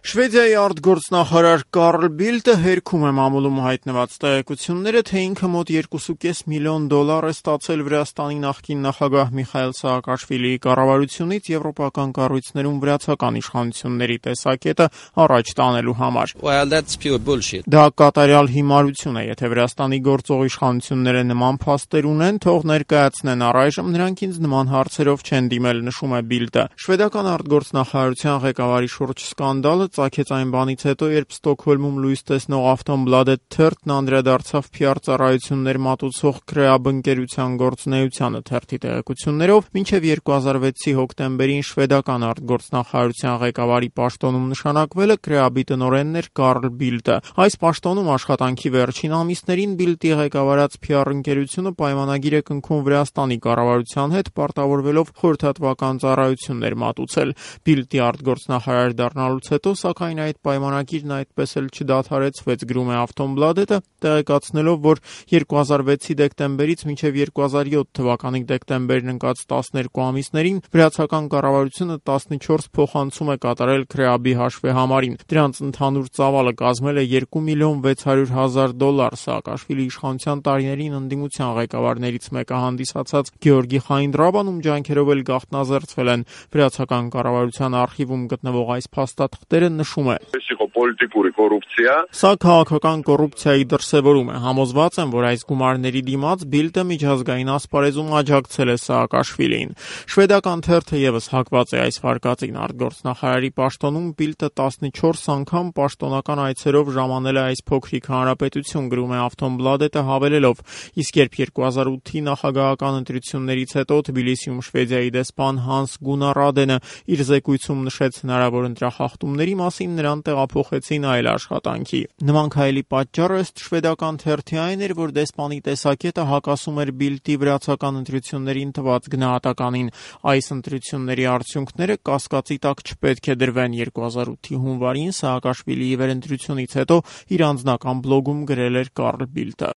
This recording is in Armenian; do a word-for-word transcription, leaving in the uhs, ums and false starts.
Շվեդիայի արտգործնախարար Կարլ Բիլդը հերքում է մամուլում հայտնված տեղեկությունները, թե ինքը մոտ երկուսուկես միլիոն դոլար է ստացել Վրաստանի նախկին նախագահ Միխայիլ Սաակաշվիլիի կառավարությունից եվրոպական կառույցներում վրացական իշխանությունների տեսակետը առաջ տանելու համար։ Well, that's pure bullshit. Դա կատարյալ հիմարություն է, եթե Վրաստանի գործող իշխանությունները նման փաստեր ունեն, թող ներկայացնեն առայժմ, նրանք ինձ նման հարցերով չեն դիմել, նշում է Բիլդը։ Շվեդական արտգործնախարարության ղեկավարի շուրջ սկանդալը ծագեց այն բանից հետո, երբ Ստոկհոլմում լույս տեսնող Aftonbladet թերթն անդրադարձավ Փ R ծառայություններ մատուցող Kreab ընկերության գործունեությանը թերթի տեղեկություններով, մինչև երկու հազար վեցի հոկտեմբերին շվեդական արտգործնախարարության ղեկավարի պաշտոնում նշանակվելը Kreab-ի տնօրենն էր Կարլ Բիլդը։ Այս պաշտոնում աշխատանքի վերջին ամիսներին Բիլդի ղեկավարած Փ R ընկերությունը պայմանագիր է կնքում Վրաստանի կառավարության հետ, պարտավորվելով խորհրդատվական ծառայություններ մատուցել։ Բիլդի արտգործնախարար դառնալուց հետո, սակայն այդ պայմանագիրն այդպես էլ չդադարեցվեց, գրում է Aftonbladet-ը, տեղեկացնելով, որ երկու հազար վեցի դեկտեմբերից մինչև երկու հազար յոթ թվականի դեկտեմբերն ընկած տասներկու ամիսներին վրացական կառավարությունը տասնչորս փոխանցում է կատարել Kreab-ի հաշվեհամարին։ Դրանց ընդհանուր ծավալը կազմել է երկու միլիոն վեց հարյուր հազար դոլար։ Սաակաշվիլի իշխանության տարիներին ընդդիմության ղեկավարներից մեկը հանդիսացած Գեորգի Խայնդրաբան, ում ջանքերով էլ գաղտնազերծվել են վրացական կառավարության արխիվում գտնվող այս փաստաթղթերը, նշում է. Սա քաղաքական կոռուպցիայի դրսևորում է։ Համոզված եմ, որ այս գումարների դիմաց Բիլդը միջազգային ասպարեզում աջակցել է Սաակաշվիլիին։ Շվեդական թերթը ևս հակված է այս վարկածին։ Արտգործնախարարի պաշտոնում Բիլդը տասնչորս անգամ պաշտոնական այցերով ժամանել է այս փոքրիկ հանրապետություն, գրում է Aftonbladet-ը, հավելելով. իսկ երբ երկու հազար ութի նախագահական ընտրություններից հետո Թբիլիսիում Շվեդիայի դեսպան Հանս Գունար Ադենը իր զեկույցում նշեց հնարավոր ընտրախախտումների մասին, նրան տեղափոխեցին այլ աշխատանքի։ Նման քայլի պատճառը ըստ շվեդական թերթի այն էր, որ դեսպանի տեսակետը հակասում էր Բիլդի վրացական ընտրություններին տված գնահատականին։ Այս ընտրությունների արդյունքները կասկածի տակ չպետք է դրվեն։ երկու հազար ութի հունվարին Սաակաշվիլիի վերընտրությունից հետո իր անձնական բլոգում գրել էր Կարլ Բիլդը։